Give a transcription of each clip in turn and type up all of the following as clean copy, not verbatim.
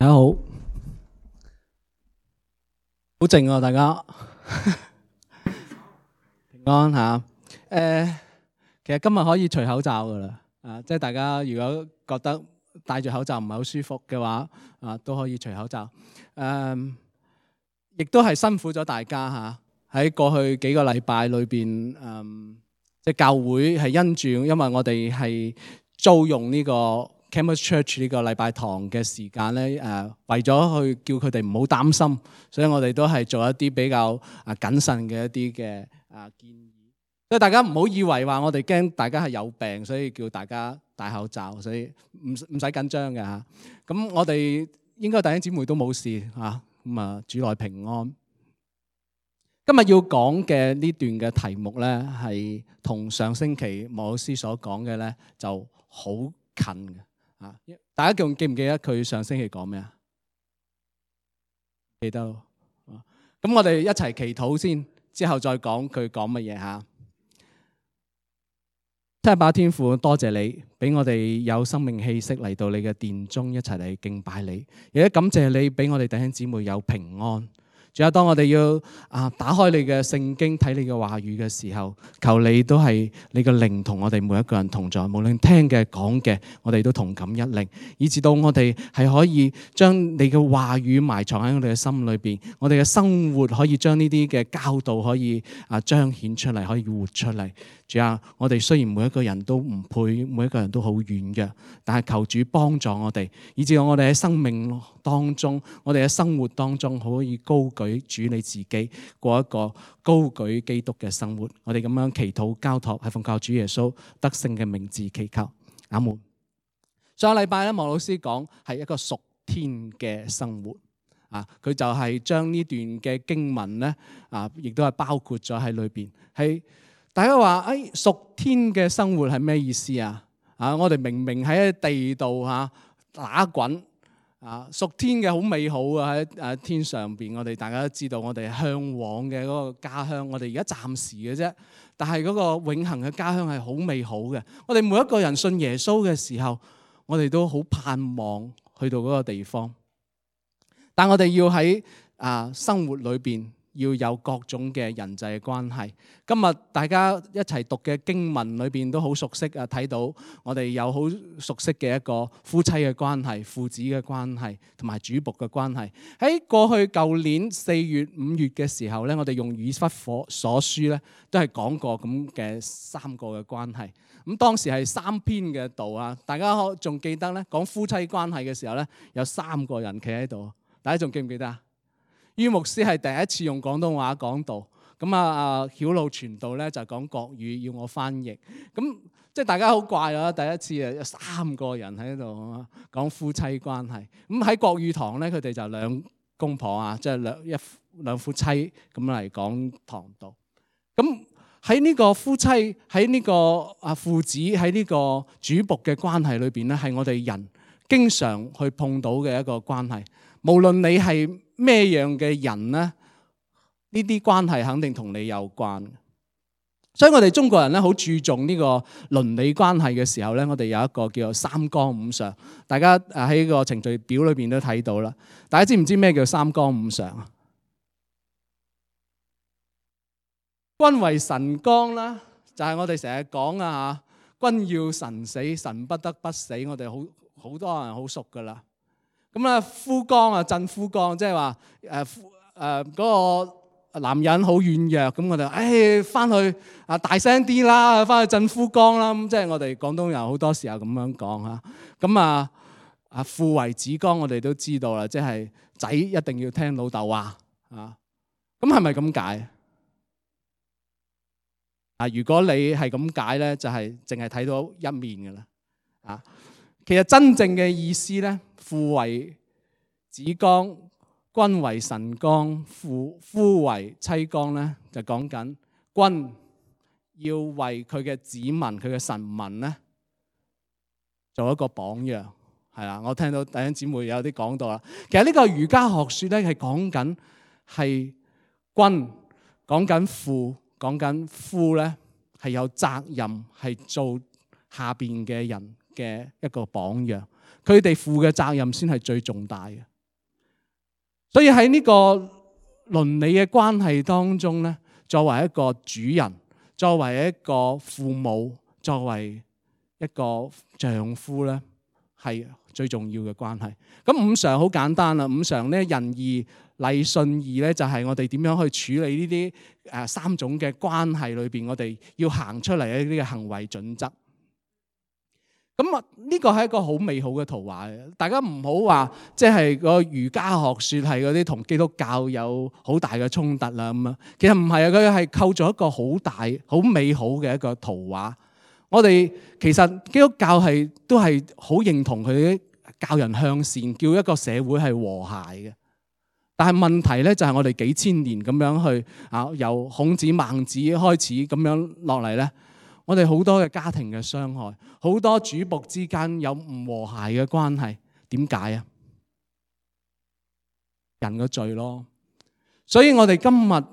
大家好，好靜啊，大家平安吓。其實今日可以除口罩噶啦，即係大家如果覺得戴住口罩唔係好舒服嘅話，都可以除口罩。亦都係辛苦咗大家吓，喺過去幾個禮拜裏邊，即係教會係因為我哋係租用呢個 Campus Church 呢個禮拜堂嘅時間咧，為咗去叫佢哋唔好擔心，所以我哋都係做一啲比較謹慎嘅一啲嘅建議。所以大家唔好以為話我哋驚大家係有病，所以叫大家戴口罩，所以唔使緊張嘅嚇。咁我哋應該弟兄姊妹都冇事嚇，咁主內平安。今日要講嘅呢段嘅題目咧，係同上星期莫老師所講嘅咧就好近嘅。大家仲記唔記得佢上星期講咩啊？記得咯。咁我哋一齊祈禱先，之後再講佢講乜嘢嚇。真係把天父，多謝你俾我哋有生命氣息嚟到你嘅殿中，一齊嚟敬拜你。亦都感謝你俾我哋弟兄姊妹有平安。仲有當我哋要打開你嘅聖經睇你嘅話語嘅時候，求你都係你嘅靈同我哋每一個人同在，無論聽嘅講嘅，我哋都同感一靈，以至到我哋係可以將你嘅話語埋藏喺我哋嘅心裏邊，我哋嘅生活可以將呢啲嘅教導可以彰顯出嚟，可以活出嚟。主啊，我哋雖然每一個人都唔配，每一個人都好軟弱，但係求主幫助我哋，以至到我哋喺生命當中，我哋喺生活當中可以高舉主你自己，過一個高舉基督嘅生活。我哋咁樣祈禱交託，係奉靠主耶穌得勝嘅名字祈求，阿門。上個禮拜咧，莫老師講係一個屬天嘅生活，佢就係將呢段嘅經文咧，亦都係包括咗喺裏邊。係大家話屬天嘅生活係咩意思啊？我哋明明喺地度打滾。屬天嘅好美好啊！喺天上邊，我哋大家都知道，我哋向往嘅嗰個家鄉，我哋而家暫時嘅啫。但係嗰個永恆嘅家鄉係好美好嘅。我哋每一個人信耶穌嘅時候，我哋都好盼望去到嗰個地方。但我哋要喺生活裏邊要有各種嘅人際關係。今日大家一齊讀嘅經文裏邊都好熟悉睇到我哋有好熟悉嘅一個夫妻嘅關係、父子嘅關係同埋主僕嘅關係。喺過去舊年4月、5月嘅時候咧，我哋用以弗所書咧都係講過咁嘅3個嘅關係。咁當時係3篇嘅道大家仲記得咧？講夫妻關係嘅時候咧，有3個人企喺度，大家仲記唔記得啊？于牧師係第一次用廣東話講道，咁曉露傳道咧就講國語，要我翻譯。咁即係大家好怪啊！第一次有3個人喺度講夫妻關係。咁喺國語堂咧，佢哋就2公婆即係兩夫妻咁嚟講堂道。咁喺呢個夫妻、喺呢個父子、喺呢個主僕嘅關係裏邊咧，係我哋人經常去碰到嘅一個關係。無論你係咩樣嘅人咧，呢啲關係肯定同你有關。所以我哋中國人咧好注重呢個倫理關係嘅時候咧，我哋有一個叫做3綱5常。大家喺個程序表裏邊都睇到啦。大家知唔知咩叫3綱5常啊？君為臣綱啦，就係我哋成日講君要臣死，臣不得不死。我哋好多人好熟噶啦。咁夫綱鎮夫綱，即係話嗰個男人好軟弱，咁我哋翻去大聲啲啦，翻去鎮夫綱啦。咁即係我哋廣東人好多時候咁樣講。咁父為子綱，我哋都知道啦，即係仔一定要聽老豆話。咁係咪咁解？如果你係咁解咧，就係淨係睇到一面噶啦。其實真正嘅意思咧，父為子綱，君為臣綱，夫為妻綱咧，就講緊君要為佢嘅子民、佢嘅臣民咧，做一個榜樣。係啦，我聽到弟兄姊妹有啲講到啦。其實呢個儒家學説咧係講緊係君，講緊父，講緊夫咧係有責任係做下邊嘅人嘅一個榜樣，佢哋負嘅責任先係最重大嘅。所以喺呢個倫理嘅關係當中咧，作為一個主人，作為一個父母，作為一個丈夫咧，係最重要嘅關係。咁五常好簡單啦，五常咧仁義禮信義咧，就係我哋點樣去處理呢啲三種嘅關係裏邊，我哋要行出嚟嘅呢啲行為準則。咁啊，呢個係一個好美好嘅圖畫嘅。大家唔好話即係個儒家學説係嗰啲同基督教有好大嘅衝突啦咁啊。其實唔係啊，佢係構造一個好大、好美好嘅一個圖畫。我哋其實基督教都係好認同佢教人向善，叫一個社會係和諧嘅。但係問題咧就係我哋幾千年咁樣去由孔子孟子開始咁樣落嚟咧，我哋好多嘅家庭嘅傷害，好多主僕之間有唔和諧嘅關係。點解啊？人嘅罪咯。所以我哋今日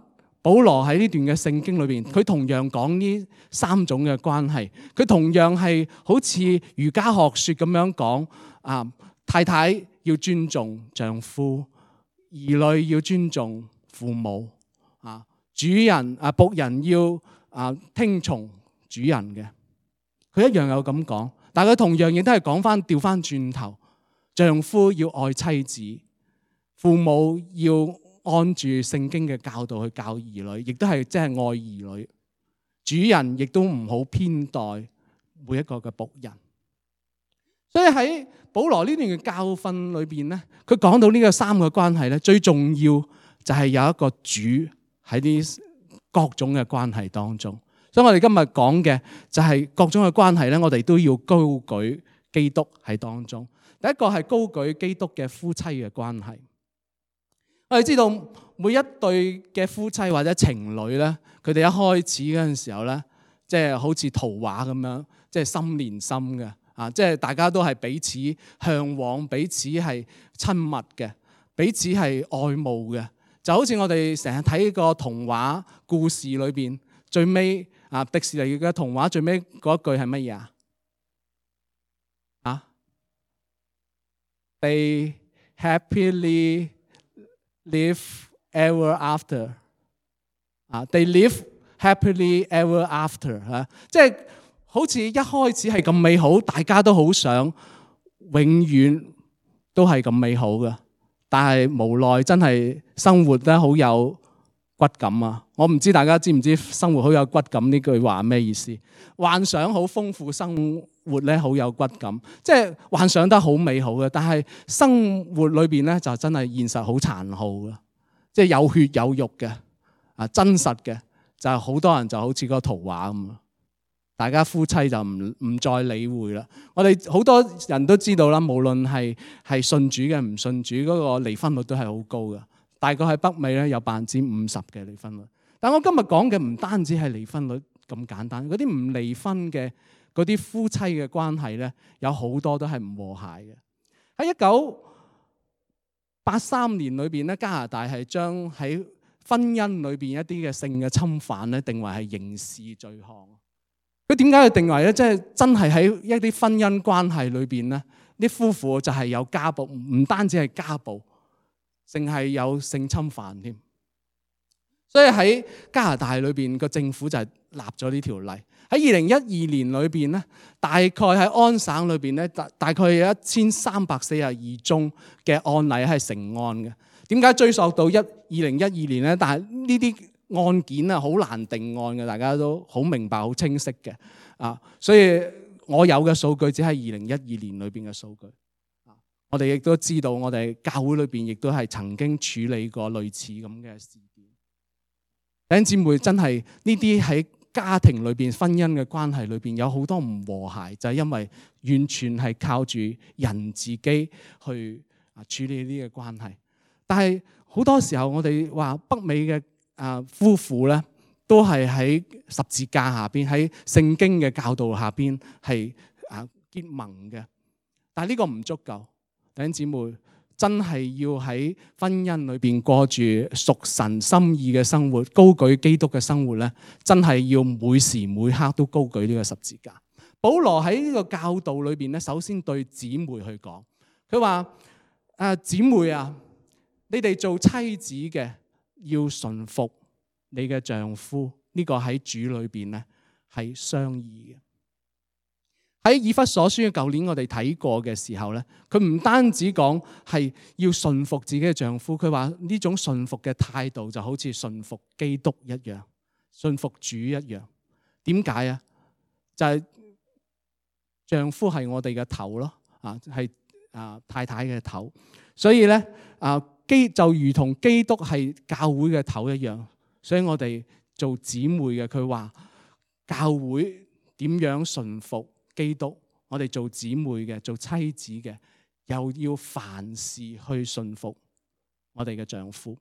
保羅喺呢段嘅聖經裏邊，佢同樣講呢三種嘅關係，佢同樣係好似儒家學説咁樣講太太要尊重丈夫，兒女要尊重父母，主人僕人要聽從主人嘅。佢一樣有咁講，但係佢同樣亦都係講翻調翻轉頭，丈夫要愛妻子，父母要按住聖經嘅教導去教兒女，亦都係即係愛兒女。主人亦都唔好偏待每一個嘅僕人。所以喺保羅呢段嘅教訓裏邊咧，佢講到呢個三個關係咧，最重要就係有一個主喺啲各種嘅關係當中。所以我哋今日講嘅就係各種嘅關係咧，我哋都要高舉基督喺當中。第一個係高舉基督嘅夫妻嘅關係。我哋知道每一對嘅夫妻或者情侶咧，佢哋一開始嗰陣時候咧，即係好似圖畫咁樣，即係心連心嘅。即係大家都係彼此嚮往，彼此係親密嘅，彼此係愛慕嘅。就好似我哋成日睇個童話故事裏邊，最尾迪士尼嘅童話最尾嗰一句係乜嘢啊？They happily live ever after。They live happily ever after。即係好似一開始係咁美好，大家都好想永遠都係咁美好嘅，但係無奈真係生活得好有骨感啊！我唔知大家知唔知生活好有骨感呢句話咩意思？幻想好豐富，生活咧好有骨感，即係幻想得好美好嘅，但係生活裏邊咧就真係現實好殘酷嘅，即係有血有肉嘅真實嘅，就係好多人就好似個圖畫咁。大家夫妻就唔再理會啦。我哋好多人都知道啦，無論係信主嘅唔信主，嗰個離婚率都係好高嘅。大概喺北美咧有50%嘅離婚率。但我今日講嘅唔單止係離婚率咁簡單，嗰啲唔離婚嘅嗰啲夫妻嘅關係咧，有好多都係唔和諧嘅。喺1983年裏邊咧，加拿大係將喺婚姻裏邊一啲嘅性嘅侵犯咧，定為係刑事罪行。佢點解去定為咧？即係真係喺一啲婚姻關係裏邊咧，啲夫婦就係有家暴，唔單止係家暴，淨係有性侵犯添。所以喺加拿大裏邊個政府就係立咗呢條例。喺2012年裏邊咧，大概喺安省裏邊咧，大概有1342宗嘅案例係成案嘅。點解追溯到2012年咧？但係呢啲案件好難定案嘅，大家都好明白、好清晰嘅所以我有嘅數據只係2012年裏邊嘅數據。我哋亦都知道，我哋教會裏邊亦都係曾經處理過類似咁嘅事件。弟兄姊妹，真係呢啲喺家庭裏邊、婚姻嘅關係裏邊有好多唔和諧，就係因為完全係靠住人自己去處理呢個關係。但係好多時候，我哋話北美嘅夫婦咧，都係喺十字架下邊，喺聖經嘅教導下邊係結盟嘅。但係呢個唔足夠，弟兄姊妹真係要喺婚姻裏邊過住屬神心意嘅生活，高舉基督嘅生活咧，真係要每時每刻都高舉呢個十字架。保羅喺呢個教導裏邊咧，首先對姊妹去講，佢話姊妹啊，你哋做妻子嘅要順服你嘅丈夫，呢個喺主裏邊咧係相宜嘅。喺以弗所書嘅舊年我哋睇過嘅時候咧，佢唔單止講係要順服自己嘅丈夫，佢話呢種順服嘅態度就好似順服基督一樣，順服主一樣。點解啊？就係丈夫係我哋嘅頭咯，係太太嘅頭，所以咧就如同基督係教會嘅頭一樣，所以我哋做姊妹嘅，佢話教會點樣順服基督，我哋做姊妹嘅、做妻子嘅，又要凡事去順服我哋嘅丈夫。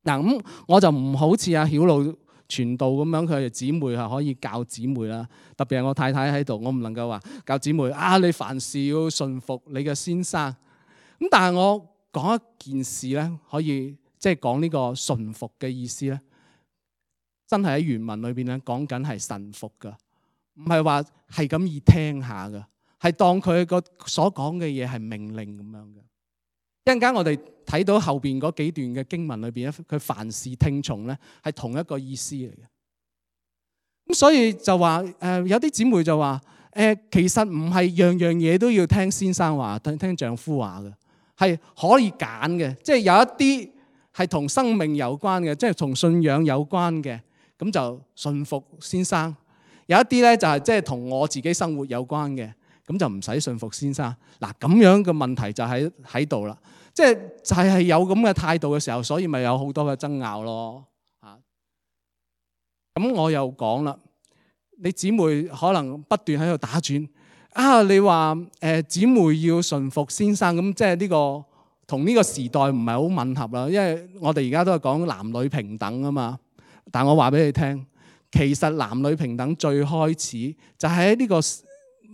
嗱，咁我就唔好似阿曉露傳道咁樣，佢哋姊妹係可以教姊妹啦。特別係我太太喺度，我唔能夠話教姊妹你凡事要順服你嘅先生。咁但係我講一件事咧，可以即係講呢個順服嘅意思咧，真係喺原文裏邊咧講緊係臣服噶。唔係話係咁易聽下嘅，係當佢個所講嘅嘢係命令咁樣嘅。一陣間我哋睇到後邊嗰幾段嘅經文裏邊咧，佢凡事聽從咧係同一個意思嚟嘅。咁所以就話有啲姊妹就話其實唔係樣樣嘢都要聽先生話，聽丈夫話嘅，係可以揀嘅。即係有一啲係同生命有關嘅，即係同信仰有關嘅，咁就順服先生。有一啲咧就係即係同我自己生活有關嘅，咁就唔使順服先生。嗱，咁樣嘅問題就喺度啦，即係就係有咁嘅態度嘅時候，所以咪有好多嘅爭拗咯。咁我又講啦，你姊妹可能不斷喺度打轉你話姊妹要順服先生，咁即係呢個同呢個時代唔係好吻合啦，因為我哋而家都係講男女平等啊嘛。但我話俾你聽，其實男女平等最開始就喺呢個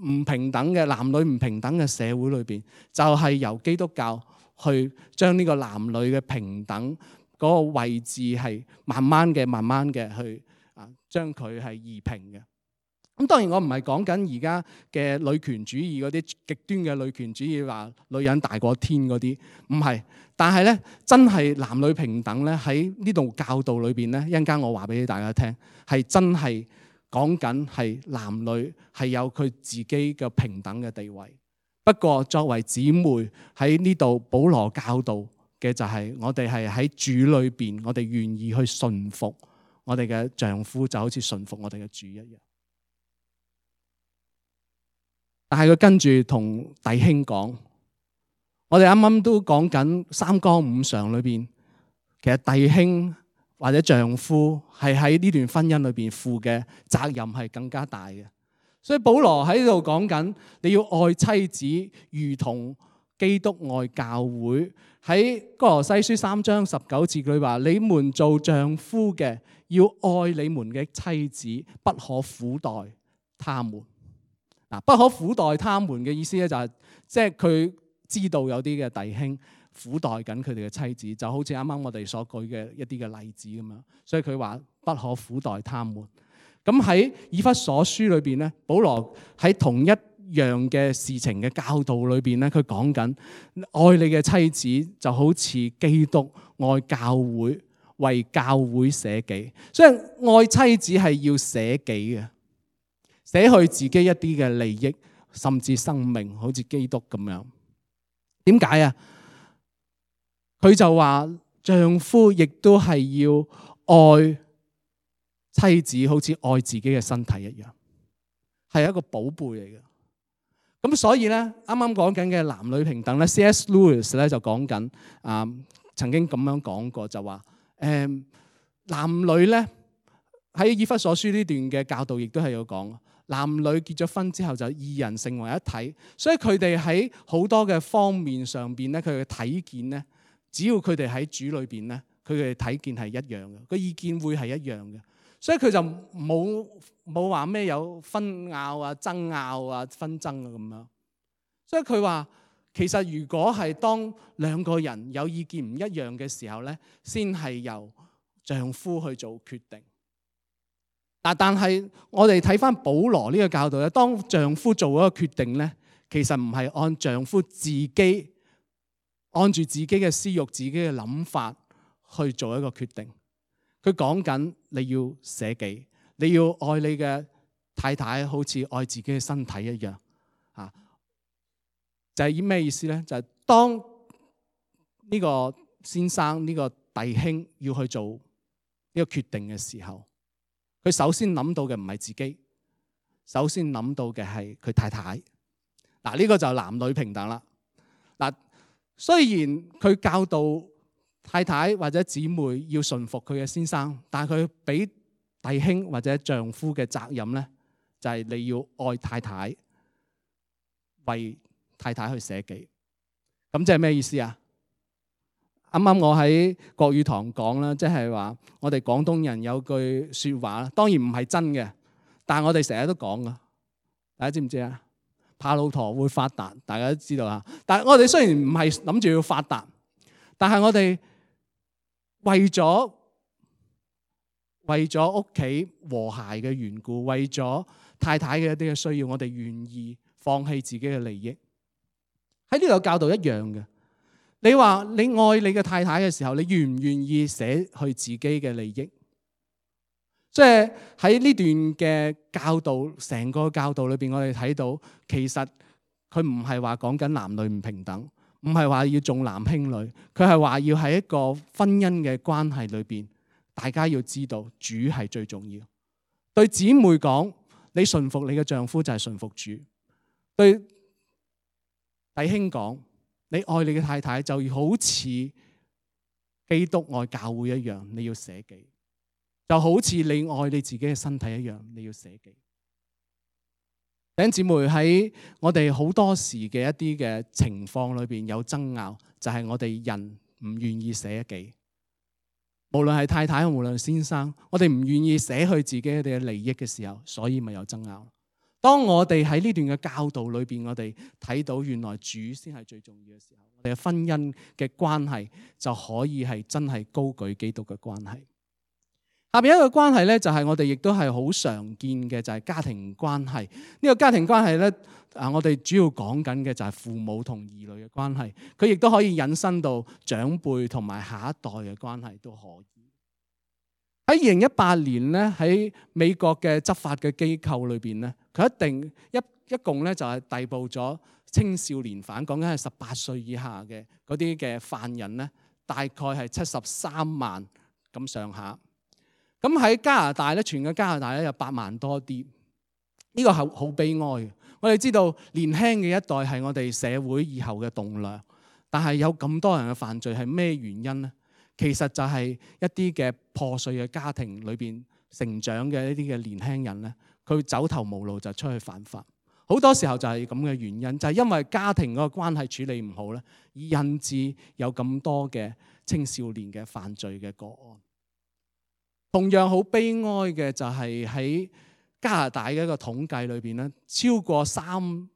唔平等嘅男女唔平等嘅社會裏邊，就係由基督教去將呢個男女嘅平等嗰個位置係慢慢嘅去將佢係移平嘅。咁當然我唔係講緊而家嘅女權主義嗰啲極端嘅女權主義，話女人大過天嗰啲，唔係。但係咧，真係男女平等咧，喺呢度教導裏邊咧，一陣間我話俾大家聽，係真係講緊係男女係有佢自己嘅平等嘅地位。不過作為姊妹喺呢度，保羅教導嘅就係我哋係喺主裏邊，我哋願意去順服我哋嘅丈夫，就好似順服我哋嘅主一樣。但係佢跟住同弟兄講，我哋啱啱都講緊三綱五常裏邊，其實弟兄或者丈夫係喺呢段婚姻裏邊負嘅責任係更加大嘅。所以保羅喺度講緊，你要愛妻子如同基督愛教會。喺哥羅西書3章19節佢話：你們做丈夫嘅要愛你們嘅妻子，不可苦待他們。不可苦待他們嘅意思咧，就係即係佢知道有啲嘅弟兄苦待緊佢哋嘅妻子，就好似啱啱我哋所舉嘅一啲嘅例子咁樣。所以佢話不可苦待他們。咁喺以弗所書裏邊咧，保羅喺同一樣嘅事情嘅教導裏邊咧，佢講緊愛你嘅妻子就好似基督愛教會，為教會捨己。所以愛妻子係要捨己嘅。捨去自己一啲嘅利益，甚至生命，好似基督咁樣。點解啊？佢就話丈夫亦都係要愛妻子，好似愛自己嘅身體一樣，係一個寶貝嚟嘅。咁所以咧，啱啱講緊嘅男女平等咧 ，C.S. Lewis 咧就講緊曾經咁樣講過，就話男女咧喺以弗所書呢段嘅教導，亦都係有講。男女結咗婚之後就二人成為一體，所以佢哋喺好多嘅方面上邊咧，佢嘅睇見咧，只要佢哋喺主裏邊咧，佢哋睇見係一樣嘅，個意見會係一樣嘅，所以佢就冇話咩有紛拗啊、爭拗啊、紛爭啊咁樣。所以佢話其實如果係當兩個人有意見唔一樣嘅時候咧，先係由丈夫去做決定。但係我哋睇翻保羅呢個教導咧，當丈夫做嗰個決定咧，其實唔係按丈夫自己按住自己嘅私欲、自己嘅諗法去做一個決定。佢講緊你要捨己，你要愛你嘅太太，好似愛自己嘅身體一樣。就係以咩意思呢？就係當呢個先生、呢個弟兄要去做呢個決定嘅時候，佢首先諗到嘅唔係自己，首先諗到嘅係佢太太。嗱，呢個就男女平等啦。嗱，雖然佢教導太太或者姊妹要順服佢嘅先生，但係佢俾弟兄或者丈夫嘅責任呢，就係你要愛太太，為太太去捨己。咁即係咩意思啊？啱啱我喺國語堂講啦，即係話我哋廣東人有句説話，當然唔係真嘅，但係我哋成日都講噶。大家知唔知啊？怕老婆會發達，大家都知道啊。但係我哋雖然唔係諗住要發達，但係我哋為咗屋企和諧嘅緣故，為咗太太嘅一啲嘅需要，我哋願意放棄自己嘅利益。喺呢度教導一樣嘅。你話你愛你嘅太太嘅時候，你願唔願意捨去自己嘅利益？即係喺呢段嘅教導，成個教導裏邊，我哋睇到其實佢唔係話講緊男女唔平等，唔係話要重男輕女，佢係話要喺一個婚姻嘅關係裏邊，大家要知道主係最重要。對姊妹講，你順服你嘅丈夫就係順服主；對弟兄講，你愛你嘅太太就好似基督愛教會一樣，你要捨己，就好似你愛你自己嘅身體一樣，你要捨己。弟兄姊妹，喺我哋好多時嘅一啲嘅情況裏邊有爭拗，就係我哋人唔願意捨己。無論係太太，無論係先生，我哋唔願意捨去自己嘅利益嘅時候，所以咪有爭拗。當我哋喺呢段嘅教導裏邊，我哋睇到原來主先係最重要嘅時候，我哋嘅婚姻嘅關係就可以係真係高舉基督嘅關係。下邊一個關係咧，就係我哋亦都係好常見嘅，就係家庭關係。呢個家庭關係咧，我哋主要講緊嘅就係父母同兒女嘅關係。佢亦都可以引申到長輩同埋下一代嘅關係都可以。喺2018年咧，喺美國嘅執法嘅機構裏邊咧，佢一共咧就係逮捕咗青少年犯，講緊係18歲以下嘅嗰啲嘅犯人咧，大概係73萬咁上下。咁喺加拿大咧，全個加拿大咧有8萬多啲。呢個係好悲哀嘅。我哋知道年輕嘅一代係我哋社會以後嘅棟樑，但係有咁多人嘅犯罪係咩原因呢？其實就係一啲嘅破碎嘅家庭裏邊成長嘅一啲嘅年輕人咧，佢走投無路就出去犯法。好多時候就係咁嘅原因，就係因為家庭嗰個關係處理唔好咧，而引致有咁多嘅青少年嘅犯罪嘅個案。同樣好悲哀嘅就係喺加拿大嘅一個統計裏邊咧，超過1/3，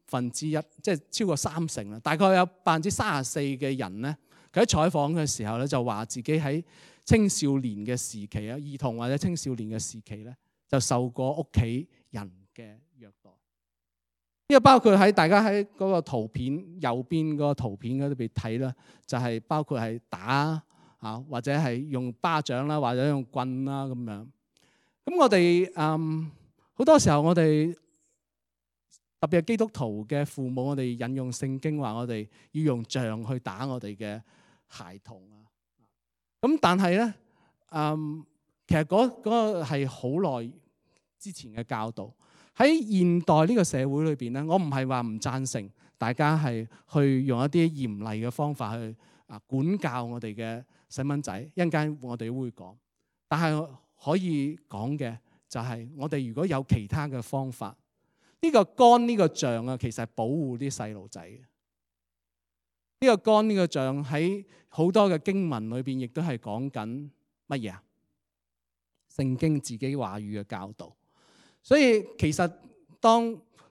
即係超過30%啦，大概有34%嘅人咧，佢喺採訪嘅時候咧就話自己喺青少年嘅時期啊，兒童或者青少年嘅時期咧，就受過屋企人嘅虐待。呢個包括喺大家喺嗰個圖片右邊嗰個圖片嗰度邊睇啦，就係包括係打啊，或者係用巴掌啦，或者用棍啦咁樣。咁我哋好多時候我哋特別係基督徒嘅父母，我哋引用聖經話我哋要用杖去打我哋嘅孩童啊。咁但係咧，其實嗰個係好耐之前嘅教導。喺現代呢個社會裏邊咧，我唔係話唔贊成大家係去用一啲嚴厲嘅方法去管教我哋嘅細蚊仔。一陣間我哋會講，但係可以講嘅就係我哋如果有其他嘅方法，呢個竿呢個杖啊，其實係保護啲細路仔嘅。呢個竿呢個杖喺好多嘅經文裏邊，亦都係講緊乜嘢啊？聖經自己話語嘅教導。所以其實當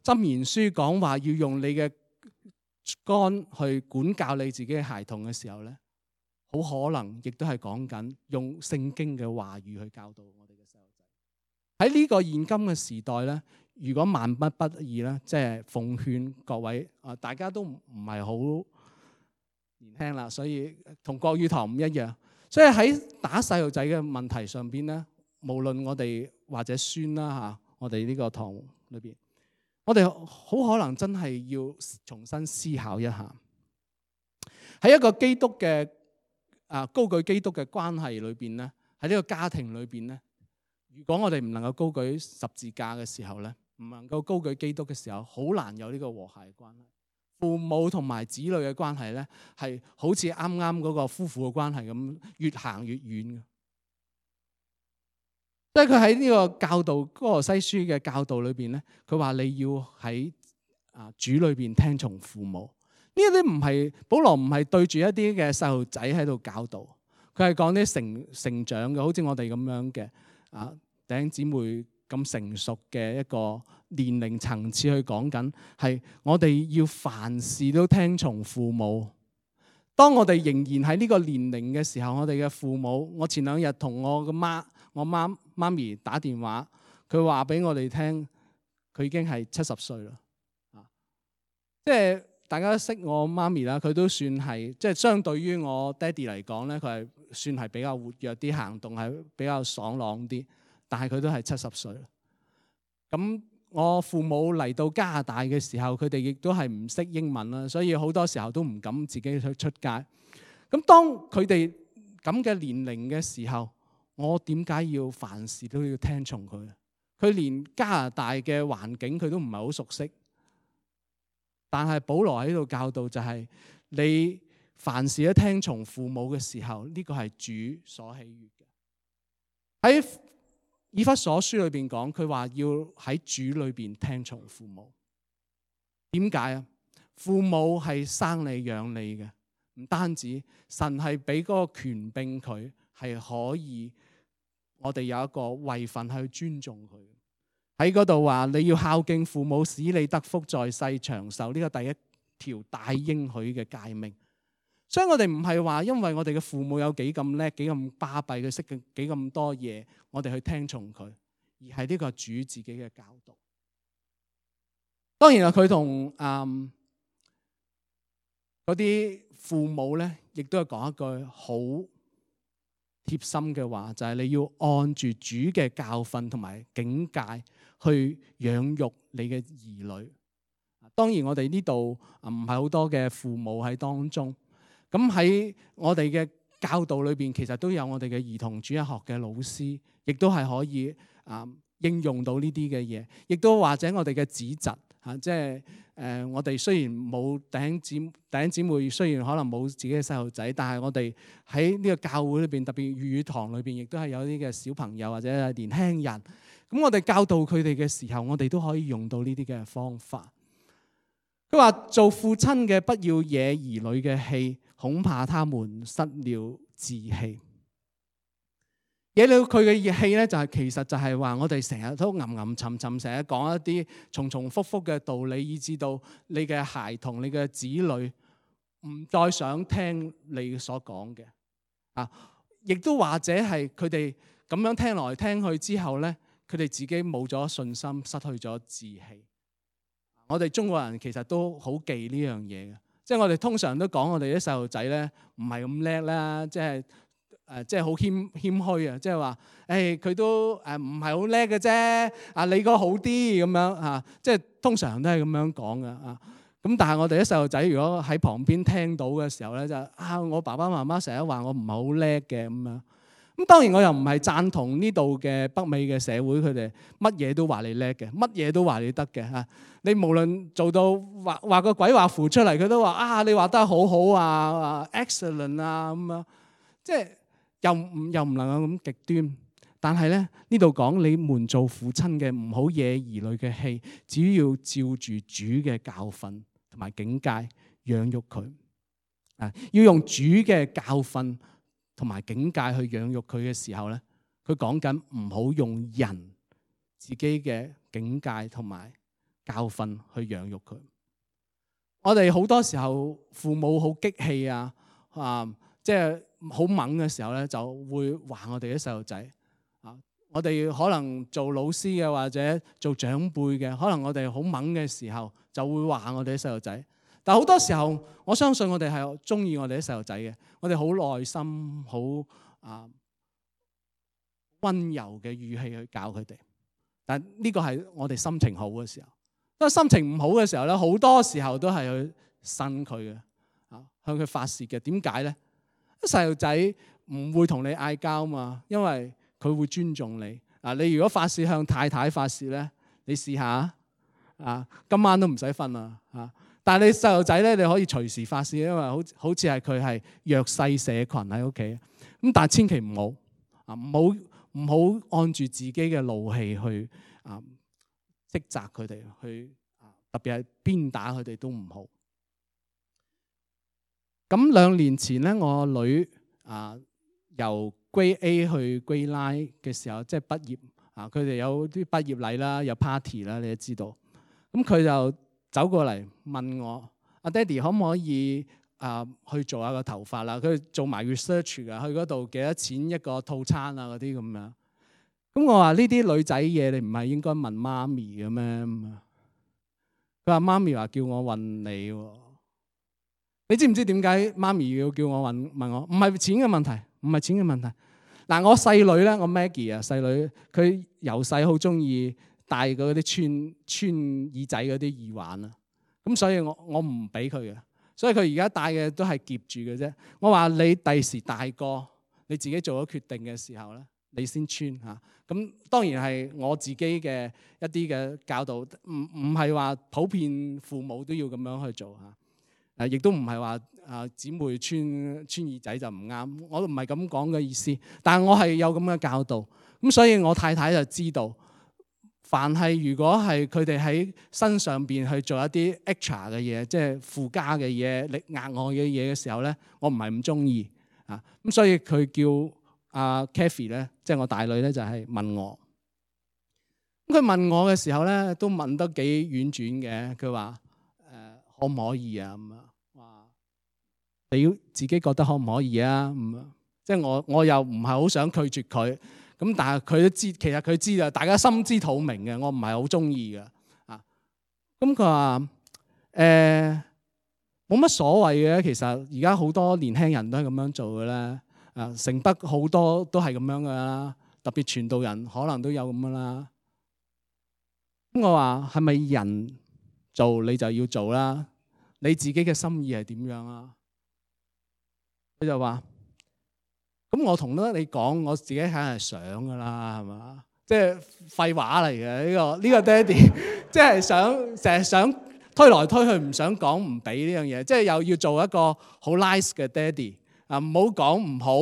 箴言書講話要用你嘅竿去管教你自己嘅孩童嘅時候咧，好可能亦都係講緊用聖經嘅話語去教導我哋嘅細路仔。喺呢個現今嘅時代咧，如果萬不得已咧，即係奉勸各位大家都唔係好年輕啦，所以同國語堂唔一樣。所以喺打細路仔嘅問題上邊咧，無論我哋或者孫啦嚇，我哋呢個堂裏邊，我哋好可能真係要重新思考一下，喺一個基督嘅高舉基督嘅關係裏邊咧，喺呢個家庭裏邊咧，如果我哋唔能夠高舉十字架嘅時候咧，唔能夠高舉基督嘅時候，好難有呢個和諧嘅關係。父母同埋子女嘅關係咧，係好似啱啱嗰個夫婦嘅關係咁，越行越遠嘅。即係佢喺呢個教導哥羅西書嘅教導裏邊咧，佢話你要喺主裏邊聽從父母。呢啲唔係保羅唔係對住一啲嘅細路仔喺度教導，佢係講啲成長嘅，好似我哋咁樣嘅弟兄姊妹咁成熟嘅一個年齡層次去講緊，係我哋要凡事都聽從父母。當我哋仍然喺呢個年齡嘅時候，我哋嘅父母，我前兩日同我媽咪打電話，佢話俾我哋聽，佢已經係70歲啦。即係大家都識我媽咪啦，佢都算係即係相對於我爹哋嚟講咧，佢係算係比較活躍啲，行動係比較爽朗啲。但係佢都係70歲啦。咁我父母嚟到加拿大嘅時候，佢哋亦都係唔識英文啦，所以好多時候都唔敢自己去出街。咁當佢哋咁嘅年齡嘅時候，我點解要凡事都要聽從佢？佢連加拿大嘅環境佢都唔係好熟悉。但係保羅喺度教導就係，你凡事都聽從父母嘅時候，呢個係主所喜悅嘅。喺以弗所書裏邊講，佢話要喺主裏邊聽從父母。點解啊？父母係生你養你嘅，唔單止神係俾嗰個權柄佢，係可以我哋有一個位份去尊重佢。喺嗰度話你要孝敬父母，使你得福在世長壽，呢個第一條大應許嘅誡命。所以我哋唔係話因為我哋嘅父母有幾咁叻，幾咁巴閉，佢識嘅幾咁多嘢，我哋去聽從佢，而係呢個主自己嘅教導。當然啦，佢同嗰啲父母咧，亦都係講一句好貼心嘅話，就係你要按住主嘅教訓同埋警戒去養育你嘅兒女。當然我哋呢度唔係好多嘅父母喺當中。咁喺我哋嘅教導裏邊，其實都有我哋嘅兒童主日學嘅老師，亦都係可以應用到呢啲嘅嘢，亦都或者我哋嘅子侄即係我哋雖然冇弟兄姊妹，雖然可能冇自己嘅細路仔，但係我哋喺呢個教會裏邊，特別粵語堂裏邊，亦都係有啲嘅小朋友或者年輕人。咁我哋教導佢哋嘅時候，我哋都可以用到呢啲嘅方法。佢話做父親嘅不要惹兒女嘅氣，恐怕他們失了志氣。惹了佢嘅熱氣咧，其實就係話我哋成日都吟沉沉，成日講一啲重重複複嘅道理，以致到你嘅孩童、你嘅子女唔再想聽你所講嘅。亦都或者係佢哋咁樣聽來聽去之後咧，佢哋自己冇咗信心，失去咗志氣。我哋中國人其實都好忌呢樣嘢嘅，即係我哋通常都講我哋啲細路仔咧唔係咁叻啦，即係好謙虛啊，即係話佢都唔係好叻嘅啫，你個好啲咁樣即係通常都係咁樣講嘅咁但係我哋啲細路仔如果喺旁邊聽到嘅時候咧，就我爸爸媽媽成日話我唔係好叻嘅咁樣。咁當然我又唔係贊同呢度嘅北美嘅社會，佢哋乜嘢都話你叻嘅，乜嘢都話你得嘅。你無論做到畫個鬼畫符出嚟，佢都話你畫得好好excellent 咁樣，即係又唔能夠咁極端。但係咧呢度講你們做父親嘅唔好惹兒女嘅氣，只要照住主嘅教訓同埋警戒養育佢。要用主嘅教訓同埋警戒去養育佢嘅時候咧，佢講緊唔好用人自己嘅警戒同埋教訓去養育佢。我哋好多時候父母好激氣即係好猛嘅時候咧，就會話我哋啲細路仔。我哋可能做老師嘅或者做長輩嘅，可能我哋好猛嘅時候就會話我哋啲細路仔。但係好多時候，我相信我哋係中意我哋啲細路仔嘅，我哋好耐心、好溫柔嘅語氣去教佢哋。但呢個係我哋心情好嘅時候。當心情唔好嘅時候咧，好多時候都係去呻佢嘅，向佢發泄嘅。點解咧？細路仔唔會同你嗌交嘛，因為佢會尊重你。你如果發泄向太太發泄咧，你試下今晚都唔使瞓啦。但係你細路仔咧，你可以隨時發泄，因為好似係佢係弱勢社群喺屋企。咁但係千祈唔好按住自己嘅怒氣去斥責佢哋，去特別係鞭打佢哋都唔好。咁2年前咧，我女由 Grade A 去 Grade 9嘅時候，即係畢業佢哋有啲畢業禮啦，有 party 啦，你都知道。咁佢就走過嚟問我：阿爹哋可唔可以去做下個頭髮啦？佢做埋 research 㗎，去嗰度幾多錢一個套餐啊嗰啲咁樣。咁我話呢啲女仔嘢，你唔係應該問媽咪嘅咩？佢話媽咪話叫我問你喎。你知唔知點解媽咪要叫我問我？唔係錢嘅問題，唔係錢嘅問題。嗱，我細女咧，我 Maggie 細女，佢由細好中意戴嗰啲穿耳仔嗰啲耳環啊。咁所以我唔俾佢嘅，所以佢而家戴嘅都係夾住嘅啫。我話你第時大個，你自己做咗決定嘅時候咧，你先穿嚇。咁當然係我自己嘅一啲嘅教導，唔係話普遍父母都要咁樣去做嚇。亦都唔係話姊妹穿耳仔就唔啱，我都唔係咁講嘅意思。但係我係有咁嘅教導，咁所以我太太就知道，凡係如果係佢哋喺身上邊去做一啲 extra 嘅嘢，即係附加嘅嘢、額外嘅嘢嘅時候咧，我唔係咁中意啊。咁所以佢叫Kathy 咧，即係我大女咧，就係問我。咁佢問我嘅時候咧，都問得幾婉轉嘅。佢話可唔可以啊？咁話你要自己覺得可唔可以啊？即係我又唔係好想拒絕佢，咁但係佢都知，其實佢知啊，大家心知肚明嘅，我唔係好中意嘅啊。咁佢話冇乜所謂嘅，其實而家好多年輕人都係咁樣做嘅啦。城北好多都係咁樣噶啦，特別傳道人可能都有咁噶啦。咁我話係咪人做你就要做啦？你自己嘅心意係點樣啊？佢就話：咁我同得你講，我自己梗係想噶啦，係嘛？即係廢話嚟嘅呢個爹哋，即係成日想推來推去，唔想講唔俾呢樣嘢，即係又要做一個好 nice 嘅爹哋啊！唔好講唔好，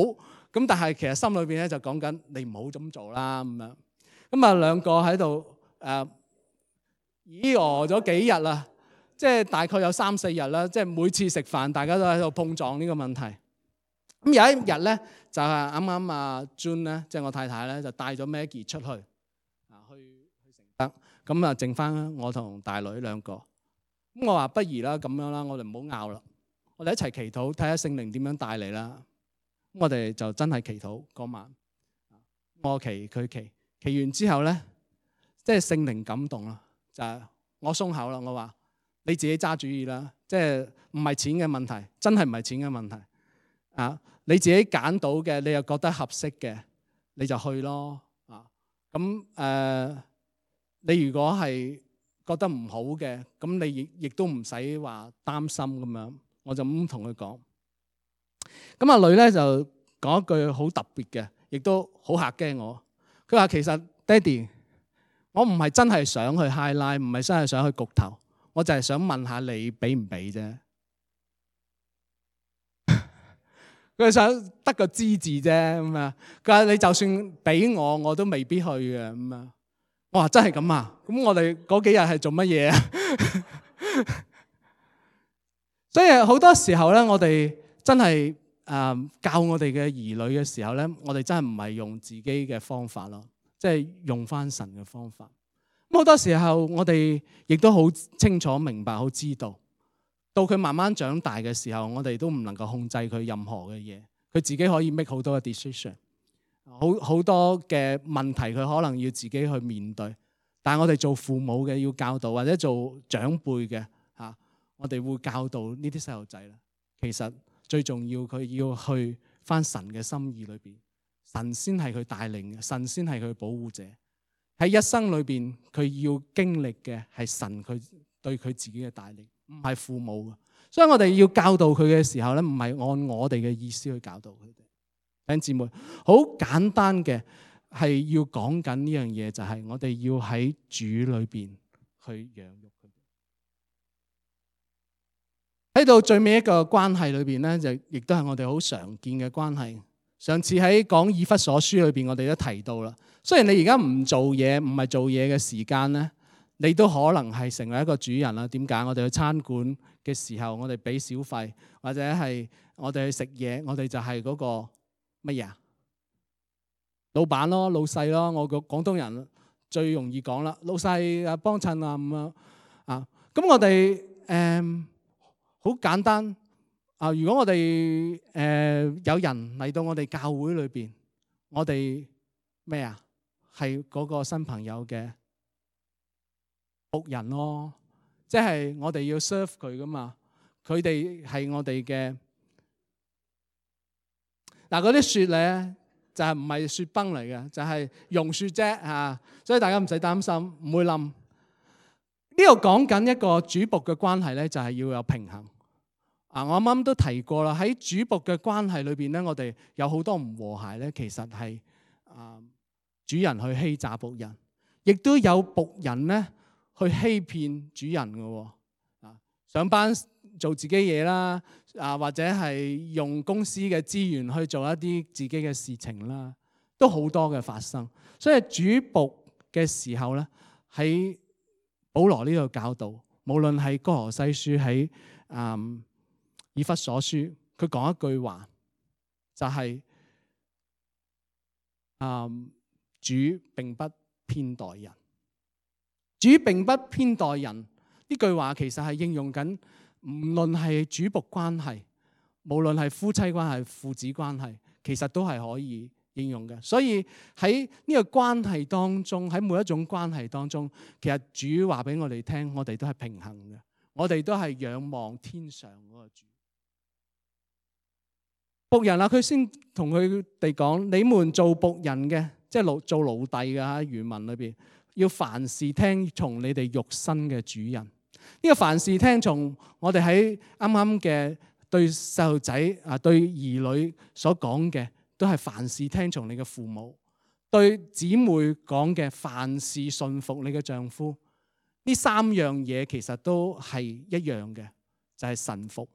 咁但係其實心裏邊咧就講緊你唔好咁做啦咁樣。咁兩個喺度咗幾日啦，即係大概有3-4日啦，即係每次食飯大家都喺度碰撞呢個問題。咁有一日咧，就係啱啱June 咧，即係我太太咧，就帶咗 Maggie 出去去承德，咁剩翻我同大女2個。咁我話不如啦，咁樣啦，我哋唔好拗啦，我哋一齊祈禱，睇下聖靈點樣帶嚟啦。咁我哋就真係祈禱嗰晚，我祈佢祈完之後咧，即係聖靈感動啦，就係我鬆口啦，我話你自己揸主意啦，即係唔係錢嘅問題，真係唔係錢嘅問題啊！你自己揀到嘅，你又覺得合適嘅，你就去咯啊！咁你如果係覺得唔好嘅，咁你亦都唔使話擔心咁樣，我就咁同佢講。咁阿女咧就講一句好特別嘅，亦都好嚇驚我。佢話其實爹哋，我唔係真係想去 highlight， 唔係真係想去焗頭，我就係想問下你俾唔俾啫。佢想得個知字啫咁啊！佢話你就算俾我，我都未必去嘅咁啊！我話真係咁啊！咁我哋嗰幾日係做乜嘢啊？所以好多時候咧，我哋真係教我哋嘅兒女嘅時候咧，我哋真係唔係用自己嘅方法咯，即係用翻神嘅方法。咁好多時候我哋亦都好清楚明白，好知道。到佢慢慢長大嘅時候，我哋都唔能夠控制佢任何嘅嘢，佢自己可以 make 好多嘅 decision， 好多嘅問題佢可能要自己去面對。但係我哋做父母嘅要教導，或者做長輩嘅我哋會教導呢啲細路仔咧，其實最重要佢要去返神嘅心意裏邊，神先係佢帶領嘅，神先係佢保護者。喺一生裏邊，佢要經歷嘅係神佢對佢自己嘅帶領，唔係父母嘅。所以我哋要教導佢嘅時候咧，唔係按我哋嘅意思去教導佢哋。弟兄姊妹，好簡單嘅係要講緊呢樣嘢，就係我哋要喺主裏邊去養育佢哋。喺到最尾一個關係裏邊咧，就亦都係我哋好常見嘅關係。上次喺講以弗所書裏邊，我哋都提到啦。雖然你而家唔做嘢，唔係做嘢嘅時間咧，你都可能係成為一個主人啦。點解？我哋去餐館嘅時候，我哋俾小費，或者係我哋去食嘢，我哋就係嗰個乜嘢啊？老闆咯，老細咯。我個廣東人最容易講啦，老細啊幫襯啊咁樣啊。咁我哋好簡單啊。如果我哋有人嚟到我哋教會裏邊，我哋咩啊？係嗰個新朋友嘅僕人咯，即係我哋要 serve 佢噶嘛。佢哋係我哋嘅嗱，嗰啲雪咧就係唔係雪崩嚟嘅，就係融雪啫嚇。所以大家唔使擔心，唔會冧。呢度講緊一個主僕嘅關係咧，就係要有平衡啊。我啱啱都提過啦，喺主僕嘅關係裏邊咧，我哋有好多唔和諧咧，其實係主人去欺詐僕人，亦都有僕人咧去欺騙主人嘅。上班做自己嘢啦，或者係用公司嘅資源去做一啲自己嘅事情啦，都好多嘅發生。所以主僕嘅時候咧，喺保羅呢度教導，無論係哥羅西書喺以弗所書，佢講一句話，就係主並不偏待人，主並不偏待人。呢句話其實係應用緊，無論係主僕關係，無論係夫妻關係、父子關係，其實都係可以應用嘅。所以喺呢個關係當中，喺每一種關係當中，其實主話俾我哋聽，我哋都係平衡嘅，我哋都係仰望天上嗰個主。僕人啊，佢先同佢哋講：你們做僕人嘅，即係做奴隸嘅嚇，原文裏邊要凡事聽從你哋肉身嘅主人。呢個凡事聽從，我哋喺啱啱嘅對細路仔對兒女所講嘅，都係凡事聽從你嘅父母；對姊妹講嘅，凡事順服你嘅丈夫。呢三樣嘢其實都係一樣嘅，就係臣服。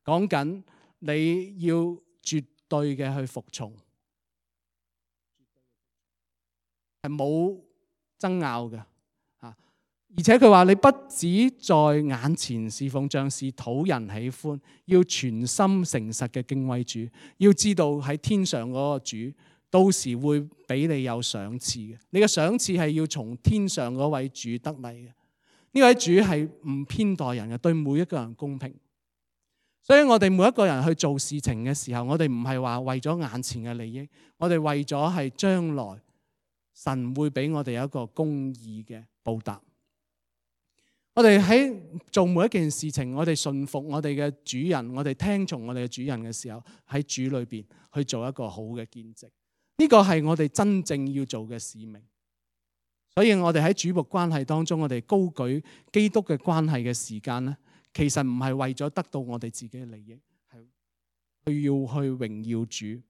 講緊你要絕對嘅去服從，係冇爭拗嘅。而且佢話你不只在眼前侍奉，像是討人喜歡，要全心誠實嘅敬畏主。要知道喺天上嗰個主，到時會俾你有賞賜嘅。你嘅賞賜係要從天上嗰位主得嚟嘅。呢位主係唔偏待人嘅，對每一個人公平。所以我哋每一個人去做事情嘅時候，我哋唔係話為咗眼前嘅利益，我哋為咗係將來神會俾我哋有一個公義嘅報答。我哋喺做每一件事情，我哋順服我哋嘅主人，我哋聽從我哋嘅主人嘅時候，喺主裏邊去做一個好嘅見證。呢個係我哋真正要做嘅使命。所以我哋喺主僕關係當中，我哋高舉基督嘅關係嘅時間咧，其實唔係為咗得到我哋自己嘅利益，係要去榮耀主。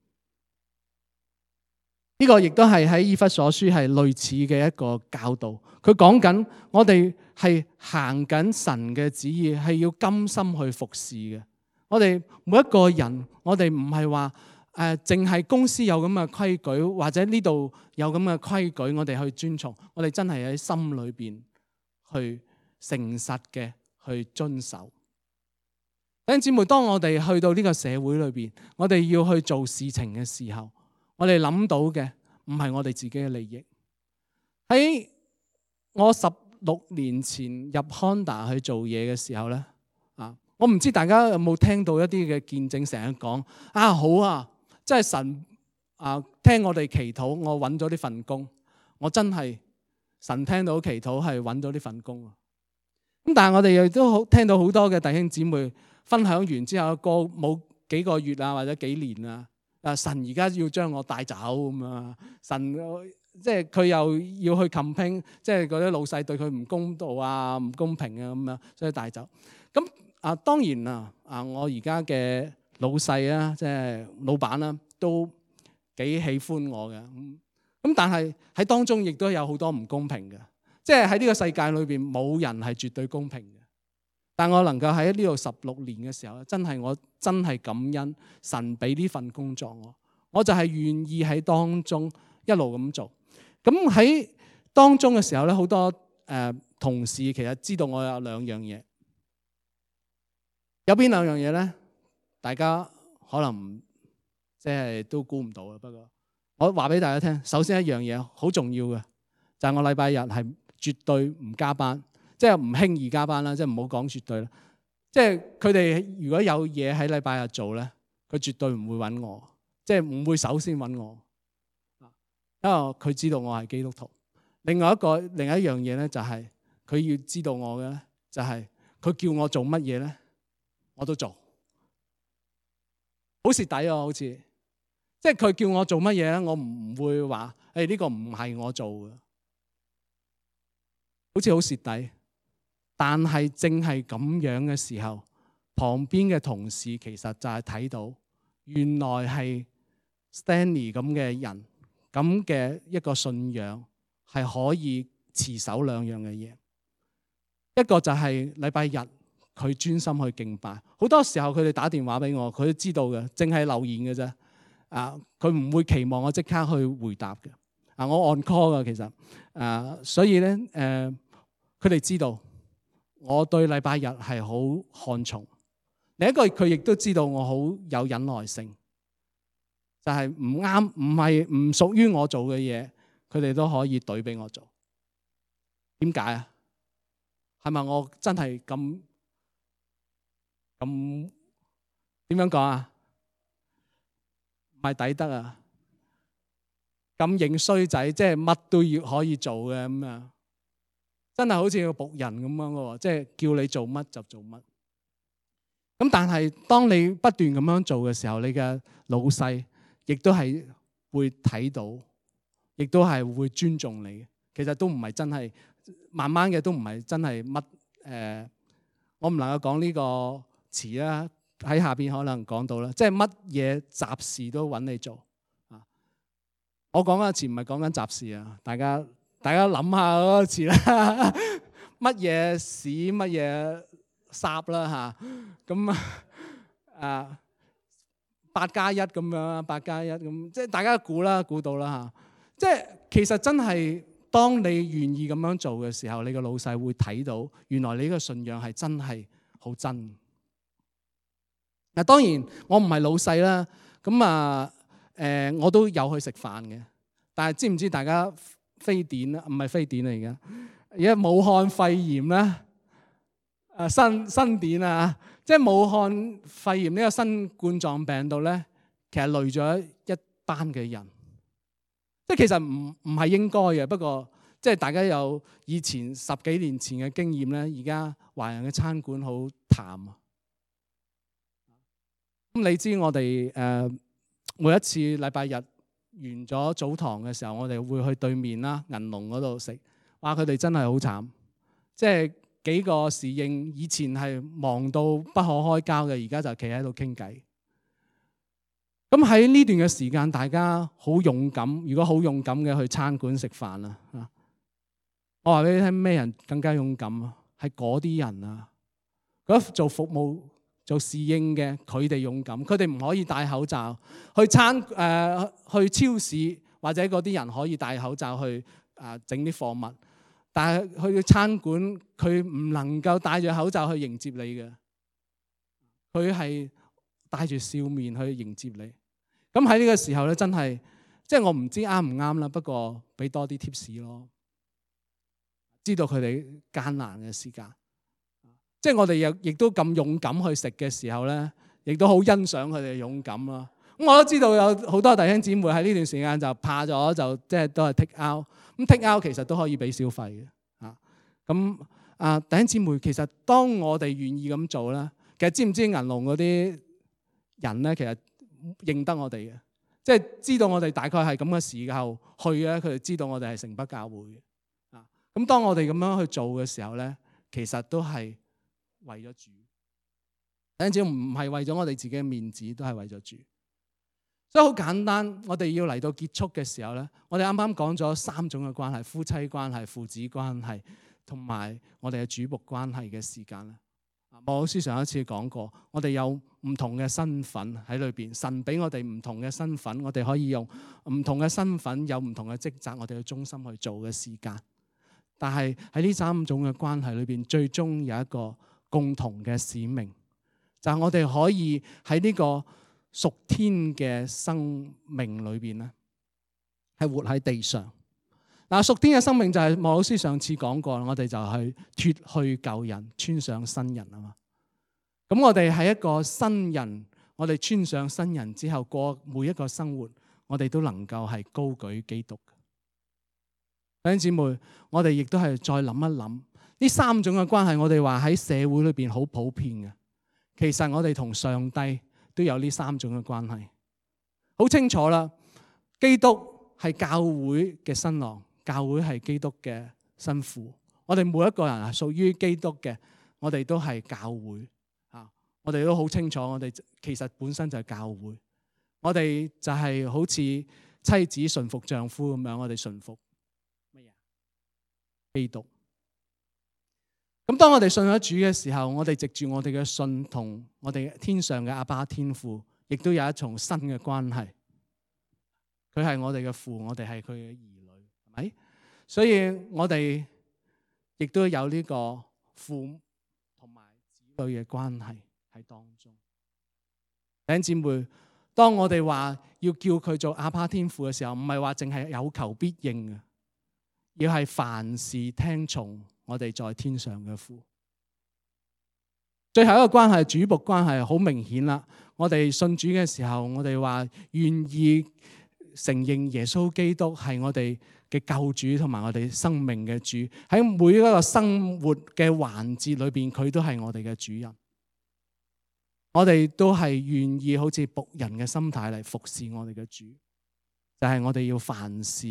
呢個亦都係喺以弗所書係類似嘅一個教導。佢講緊我哋係行緊神嘅旨意，係要甘心去服侍嘅。我哋每一個人，我哋唔係話淨係公司有咁嘅規矩，或者呢度有咁嘅規矩，我哋去遵從。我哋真係喺心裏邊去誠實嘅去遵守。弟兄姊妹，當我哋去到呢個社會裏邊，我哋要去做事情嘅時候，我哋諗到嘅唔係我哋自己嘅利益。喺我16年前入 Honda 去做嘢嘅時候咧，我唔知大家有冇聽到一啲嘅見證，成日講好啊，即係神聽我哋祈禱，我揾咗呢份工，我真係神聽到祈禱係揾到呢份工啊！咁但係我哋亦都聽到好多嘅弟兄姊妹分享完之後，過冇幾個月啊或者幾年啊，神而家要將我帶走咁啊，神即係佢又要去 campaign， 即係嗰啲老細對佢唔公道啊、唔公平啊咁樣，所以帶走。咁當然我而家嘅老細啊，即係老闆啦，都幾喜歡我嘅。咁但係喺當中亦都有好多唔公平嘅。即係喺呢個世界裏邊冇人係絕對公平嘅，但我能夠喺呢度16年嘅時候，我真係感恩神俾呢份工作我就係願意喺當中一路咁做。咁喺當中嘅時候咧，好多同事其實知道我有兩樣嘢，有邊兩樣嘢咧？大家可能即係都估唔到啊。不過我話俾大家聽，首先一樣嘢好重要嘅就係我禮拜日係絕對唔加班，即係唔輕易加班啦，即係唔好講絕對啦。即係佢哋如果有嘢喺禮拜日做咧，佢絕對唔會揾我，即係唔會首先揾我，因為佢知道我係基督徒。另一樣嘢咧，就係佢要知道我嘅咧，就係佢叫我做乜嘢咧，我都做，好蝕底啊！好似即係佢叫我做乜嘢咧，我唔會話呢個唔係我做嘅。好似好蝕底，但係正係咁樣嘅時候，旁邊嘅同事其實就係睇到，原來係 Stanley 咁嘅人，咁嘅一個信仰係可以持守兩樣嘅嘢。一個就係禮拜日佢專心去敬拜，好多時候佢哋打電話俾我，佢都知道嘅，淨係留言嘅啫。佢唔會期望我即刻去回答嘅。我 on call 嘅其實，所以咧佢哋知道我對禮拜日係好看重。另一個佢亦都知道我好有忍耐性，就係唔啱、唔屬於我做嘅嘢，佢哋都可以懟俾我做。點解啊？係咪我真係咁點樣講啊？唔係抵得啊！咁認衰仔，即係乜都要可以做嘅咁啊！真係好似個僕人咁樣嘅，即係叫你做乜就做乜。咁但係當你不斷咁樣做嘅時候，你嘅老細亦都係會睇到，亦都係會尊重你。其實都唔係真係，慢慢嘅都唔係真係乜我唔能夠講呢個詞啦。喺下邊可能講到啦，即係乜嘢雜事都揾你做啊！我講嘅詞唔係講緊雜事啊，大家諗下嗰個詞啦，乜嘢屎乜嘢霎啦嚇，咁8+1咁樣，8+1咁，即係大家估到啦嚇。即係其實真係當你願意咁樣做嘅時候，你個老細會睇到，原來你呢個信仰係真係好真。嗱，當然我唔係老細啦，咁我都有去食飯嘅。但係知唔知大家非典啊？唔係非典嚟嘅，而家武漢肺炎咧，新典啊，即係武漢肺炎呢個新冠狀病毒咧，其實累咗一班嘅人。即係其實唔係應該嘅，不過即係大家有以前10幾年前嘅經驗咧，而家華人嘅餐館好淡啊。咁你知我哋每一次禮拜日完咗早堂嘅時候，我哋會去對面啦銀龍嗰度食。哇！佢哋真係好慘，即係幾個侍應以前係忙到不可開交嘅，而家就企喺度傾偈。咁喺呢段嘅時間，大家好勇敢。如果好勇敢嘅去餐館食飯啦，我話俾你聽，咩人更加勇敢啊？係嗰啲人啊，嗰做服務做侍應嘅，佢哋勇敢，佢哋唔可以戴口罩去去超市，或者嗰啲人可以戴口罩去整啲貨物，但係去餐館佢唔能夠戴住口罩去迎接你嘅，佢係帶住笑面去迎接你。咁喺呢個時候咧，真係即係我唔知啱唔啱啦，不過俾多啲 tips 咯，知道佢哋艱難嘅時間。即係我哋亦都咁勇敢去食嘅時候咧，亦都好欣賞佢哋嘅勇敢咯。咁我都知道有好多弟兄姊妹喺呢段時間就怕咗，就即係都係 take out。咁 take out 其實都可以俾小費嘅。咁弟兄姊妹，其實當我哋願意咁做咧，其實知唔知銀龍嗰啲人咧，其實認得我哋嘅，即係知道我哋大概係咁嘅時候去咧，佢哋知道我哋係城北教會嘅。咁當我哋咁樣去做嘅時候咧，其實都係為咗主。弟兄姊妹，唔係為咗我哋自己嘅面子，都係為咗主。所以好簡單，我哋要嚟到結束嘅時候咧，我哋啱啱講咗3種嘅關係：夫妻關係、父子關係，同埋我哋嘅主僕關係嘅時間咧。莫老師上一次講過，我哋有唔同嘅身份喺裏邊，神俾我哋唔同嘅身份，我哋可以用唔同嘅身份，有唔同嘅職責，我哋要忠心去做嘅時間。但係喺呢3種嘅關係裏邊，最終有一個共同嘅使命，就係我哋可以喺呢個屬天嘅生命裏邊咧，係活喺地上。嗱，屬天嘅生命就係莫老師上次講過，我哋就去脫去舊人，穿上新人啊嘛。咁我哋係一個新人，我哋穿上新人之後過每一個生活，我哋都能夠係高舉基督。弟兄姊妹，我哋亦都係再諗一諗呢3種嘅關係，我哋話喺社會裏邊好普遍嘅。其實我哋同上帝都有呢3種嘅關係，好清楚啦。基督係教會嘅新郎，教會係基督嘅新婦。我哋每一個人係屬於基督嘅，我哋都係教會啊！我哋都好清楚，我哋其實本身就係教會。我哋就係好似妻子順服丈夫咁樣，我哋順服乜嘢？基督。咁當我哋信咗主嘅時候，我哋藉住我哋嘅信同我哋天上嘅阿爸天父，亦都有一重新嘅關係。佢係我哋嘅父，我哋係佢嘅兒女，係咪？所以我哋亦都有呢個父同埋子女嘅關係喺當中。弟兄姊妹，當我哋話要叫佢做阿爸天父嘅時候，唔係話淨係有求必應嘅，要係凡事聽從我哋在天上嘅父。最後一個關係，主僕關係，好明顯啦。我哋信主嘅時候，我哋話願意承認耶穌基督係我哋嘅救主同埋我哋生命嘅主。喺每一個生活嘅環節裏邊，佢都係我哋嘅主人。我哋都係願意好似僕人嘅心態嚟服侍我哋嘅主，就係我哋要凡事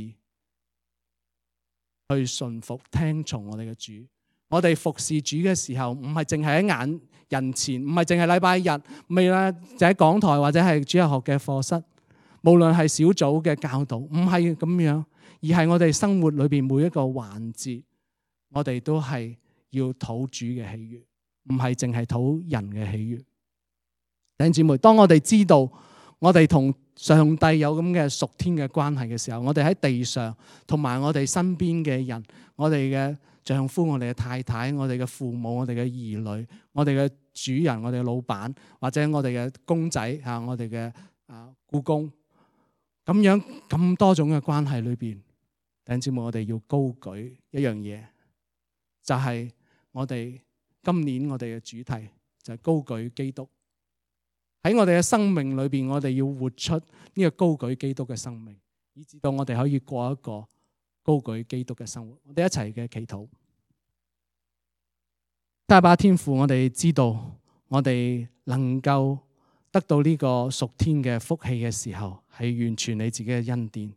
去順服聽從我哋嘅主。我哋服侍主嘅時候，唔係淨係喺眼人前，唔係淨係禮拜日，唔係啦，就喺講台或者係主日學嘅課室，無論係小組嘅教導，唔係咁樣，而係我哋生活裏邊每一個環節，我哋都係要討主嘅喜悅，唔係淨係討人嘅喜悅。弟兄姊妹，當我哋知道我哋同上帝有咁嘅屬天嘅關係嘅時候，我哋喺地上同埋我哋身邊嘅人，我哋嘅丈夫、我哋嘅太太、我哋嘅父母、我哋嘅兒女、我哋嘅主人、我哋嘅老闆，或者我哋嘅公仔啊、我哋嘅僱工，咁樣咁多種嘅關係裏邊，弟兄姊妹，我哋要高舉一樣嘢，就係我哋今年我哋嘅主題就係高舉基督。喺我哋嘅生命裏邊，我哋要活出呢個高舉基督嘅生命，以至到我哋可以過一個高舉基督嘅生活。我哋一齊嘅祈禱。阿爸天父，我哋知道我哋能夠得到呢個屬天嘅福氣嘅時候，係完全你自己嘅恩典。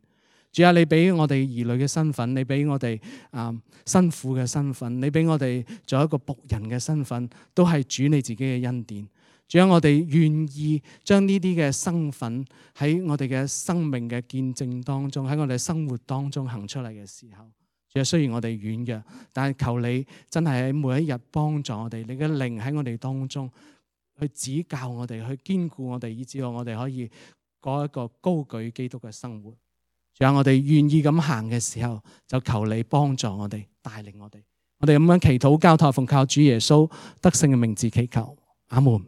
主啊，你俾我哋兒女嘅身份，你俾我哋新婦嘅身份，你俾我哋做一個僕人嘅身份，都係主你自己嘅恩典。主啊，我哋願意將呢啲嘅身份喺我哋嘅生命嘅見證當中，喺我哋生活當中行出嚟嘅時候，主啊，雖然我哋軟弱，但係求你真係喺每一日幫助我哋，你嘅靈喺我哋當中去指教我哋，去堅固我哋，以至到我哋可以過一個高舉基督嘅生活。主啊，我哋願意咁行嘅時候，就求你幫助我哋，帶領我哋。我哋咁樣祈禱交託，奉靠主耶穌得勝嘅名字祈求，阿門。